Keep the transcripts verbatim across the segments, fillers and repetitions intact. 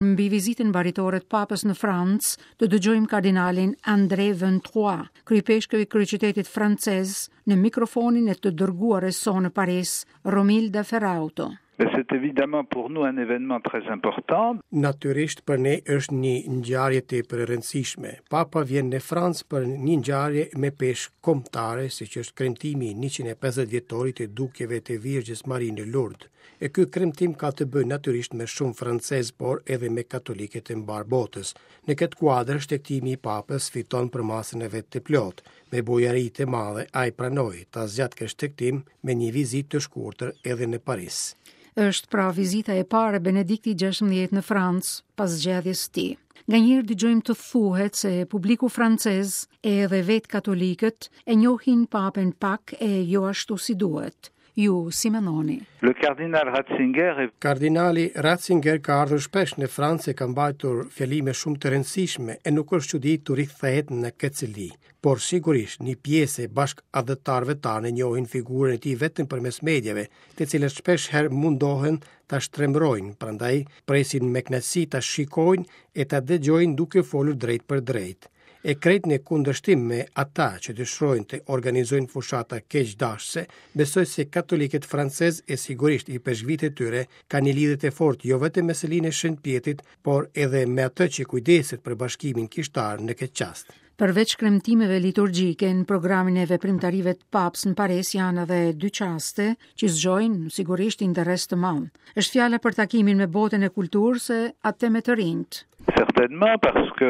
Mbi vizitën baritore të Papës në Francë, të dëgjojmë kardinalin André Vingt-Trois, kryeipeshkëv i kryeqytetit francez, në mikrofonin e të dërguarës sonë në Paris, Romilda Ferrauto. Mais c'est évidemment pour nous un événement très important. Natyrisht, për ne është një ngjarje tepër e rëndësishme. Papa vjen në Francë për një ngjarje me peshë kombëtare, siç është kremtimi i njëqind e pesëdhjetë vjetorit të dukjeve të Virgjës Mari në Lourdes. E ky kremtim ka të bëjë natyrisht me shumë francez, por edhe me katolikët e mbarë botës. Në këtë kuadër, shtegtimi i Papës fiton përmasën e vet të plotë. Me bujari të madhe, ai pranoi ta zgjat këtë shtegtim me një vizitë të shkurtër edhe në Paris. Është pra vizita e parë e Benedikti gjashtëmbëdhjetë në Francë pas zgjedhjes së tij. Nganjëherë dëgjojmë të thuhet se publiku francez edhe vetë katolikët e njohin Papën pak e jo ashtu si duhet. Ju si mendoni? Le cardinal Ratzinger est Kardinali Ratzinger ka ardhur shpesh në Francë e ka mbajtur fjalime shumë të rëndësishme e nuk është çudi të rikthehet në këtë seli. Por sigurisht një pjesë e bashkatdhetarëve tanë njohin figurën e tij vetëm përmes mediave, të cilët shpesh herë mundohen ta shtrembrojnë, prandaj presin me kënaqësi ta shikojnë e ta dëgjojnë duke folur drejt për drejt. E krejt në kundërshtim me ata që dëshirojnë të organizojnë fushata keqdashëse, besoj se katolikët francez e sigurisht ipeshkvit e tyre kanë një lidhje të fortë jo vetëm me selinë e Shën Pjetrit, por edhe me atë që kujdeset për bashkimin kishtar në këtë çast. Përveç kremtimeve liturgjike, në programin e veprimtarive të Papës në Paris janë edhe dy çaste që zgjojnë sigurisht interes të madh. Është fjala për takimin me botën e kulturës e atë me të rinjt. Certainement, parce que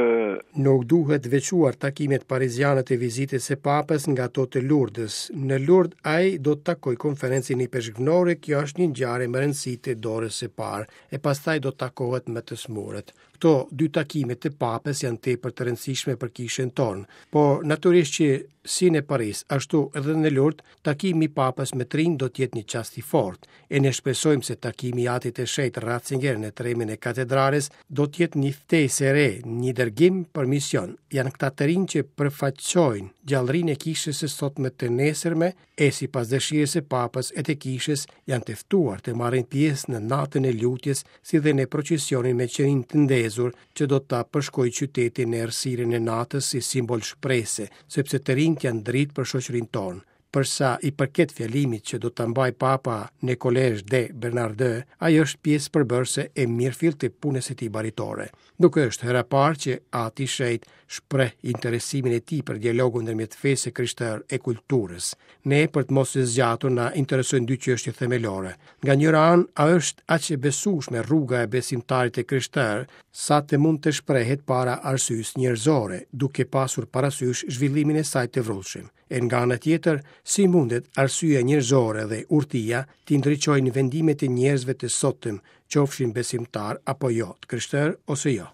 Nuk duhet veçuar takimet pariziane të vizitës së Papës nga ato të Lourdes. Në Lourdes ai do të takojë konferencën ipeshkvnore, kjo është një ngjarje me rëndësi të dorës së parë, e pastaj do të takohet me të smurët. Këto dy takime të Papës janë tepër të rëndësishme për kishën tonë, por natyrisht që si në Paris, ashtu edhe në Lourdes, takimi i Papës me të rinj do të jetë një çast i fortë. E ne shpresojmë se takimi i Atit të Shenjtë Ratzinger në tremin e katedrales do të jetë një ftesë e re, një dërgim për mision. Janë këta të rinj që përfaqësojnë gjallërinë e kishës së sotme, të nesërme, e sipas dëshirës së Papës e të kishës janë të ftuar të marrin pjesë në natën e lutjes, si dhe në procesionin me qirinj të ndezur që do ta përshkojë qytetin në errësirën e natës si simbol shprese, sepse të rinjt janë dritë për shoqërinë tonë. Për sa i përket fjalimit që do ta mbajë Papa në Collège des Bernardins, ajo është pjesë përbërëse e mirëfilltë të punës së tij baritore. Nuk është hera e parë që Ati i Shenjtë shpreh interesimin e tij për dialogun ndërmjet fesë së krishterë e kulturës. Ne, për të mos e zgjatur, na interesojnë dy çështje themelore. Nga njëra anë, a është aq e besueshme rruga e besimtarit të krishterë sa të mund të shprehet para arsyes njerëzore, duke pasur parasysh zhvillimin e saj të vrullshëm? E nga ana tjetër, si mundet arsyeja njerëzore dhe urtia të ndriçojnë vendimet e njerëzve të sotëm, qofshin besimtar apo jo, të krishterë ose jo?